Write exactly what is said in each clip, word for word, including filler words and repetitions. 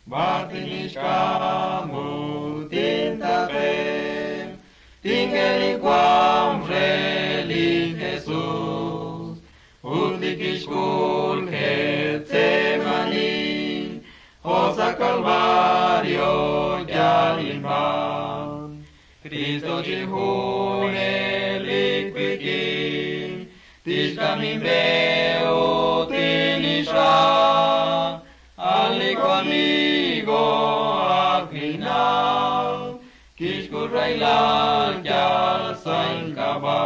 Bartinishkamu tintape, tingeliguam reli Jesus, utikishkul Getsemani, Hosa Calvario yalimban, Cristo jihune liquikin, tishkamimeo tinisha, amigo akina, kishkurailan yal sainkaba.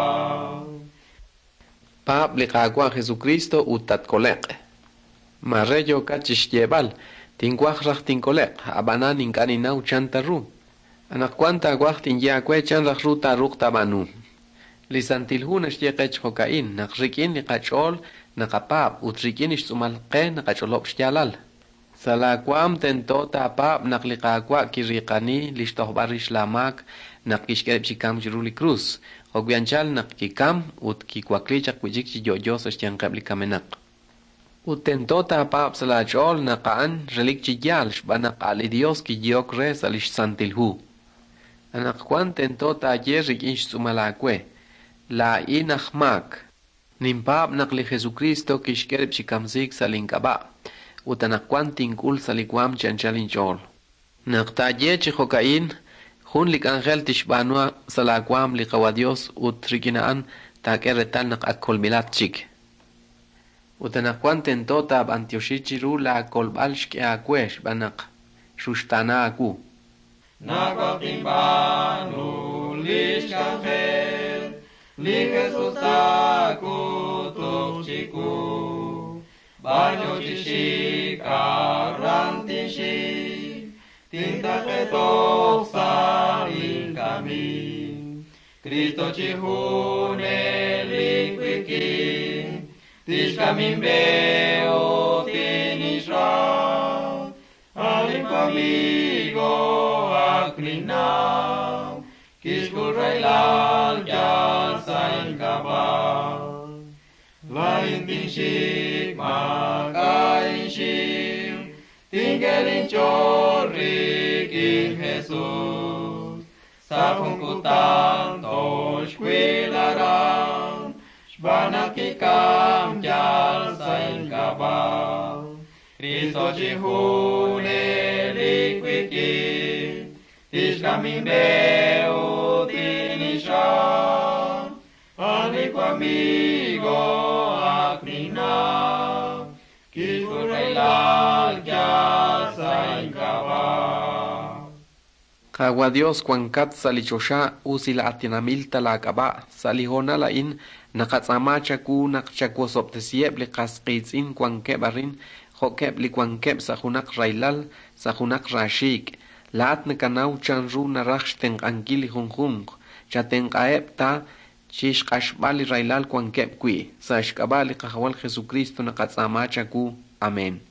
Paab li Qaawa' Jesucristo ut tatkoleq. Mare yookat chixyeeb'al, tinwaj raj tinkoleq, ab'anan ink'a' ninnaw chan ta ru. Anaqwan taawaj tinye aawe chan raj ru taaruuq taab'aanu. Li Santil Hu naxye qe chi jo'ka'in naq rik'in li qach'ool naqapaab' ut rik'in xtz'uumal qe naqach'olob' xyaalal. Sa' laawaam tento taapaab' naq li Qaawa' kiriiqani li xtojb'al rix laamaak naq kixk'e rib' chi kamk chiru li krus, jo'wi anchal naq kikam ut kiwakli chaq wi'chik chi yo'yo sa' xyanqeb' li kamenaq. Ut tento taapaab' sa' laach'ool naq a'an relik chi yaal xb'aan naq a' li Dios kiyehok re sa' li xSantil Hu. Anaqwan tento taaye rik'in xtz'uumal aawe: Laa'in aj maak. Ninpaab' naq li Jesukristo kixk'e rib' chi kamsiik sa' link'ab'a', ut anaqwan tink'ul sa' li waanm chi anchal inch'ool. Naq taaye chi jo'ka'in, jun li k'anjel tixb'aanu sa' laawaanm li Qawa' Dios ut rik'in a'an taak'e reetal naq ak kolb'ilat chik. Ut anaqwan tento taab'antioxi chiru laakolb'al xk'e aawe xb'aan naq xuxtaana aawu. Nawaj tinb'aanu lix k'anjel, li Jesus taak'utuq chiwu. B'ar yo chi xik aran tinxik, tintaaqe toj sa' linkamik. Cristo chi junelik wik'in, tixk'am inb'e ut tinixra. A'in amigo ak ninnaw, kixk'ul rahilal yal sa' ink'ab'a'. Laa'in tinxik maak'a' inxiw, tink'e linch'ool rik'in Jesus. Sa' jun kutan toxwil aran, xb'aan naq kikam yal sa' ink'ab'a'. Cristo chi junelik wik'in, tixk'am inb'e ut tinixra. A'in amigo ak ninnaw, kixk'ul rahilal yal sa' ink'ab'a'. Qaawa' Dios wankat sa' li choxa usilaatinamil ta laak'ab'a' sa' li hoonal a'in naqatz'aama chawu naq chawosob'tesiheb' li qas qiitz'in wankeb' arin jo'keb' li wankeb' sa' junaq rahilal sa' junaq raaxiik'. Laa'at nakanaw chanru naraj xtenq'ankil li junjunq, chatenq'aheb' ta chi xq'axb'al li rahilal wankeb' wi'. Sa' xk'ab'a' li Qajawal Jesucristo naqatz'aama chawu. Amén.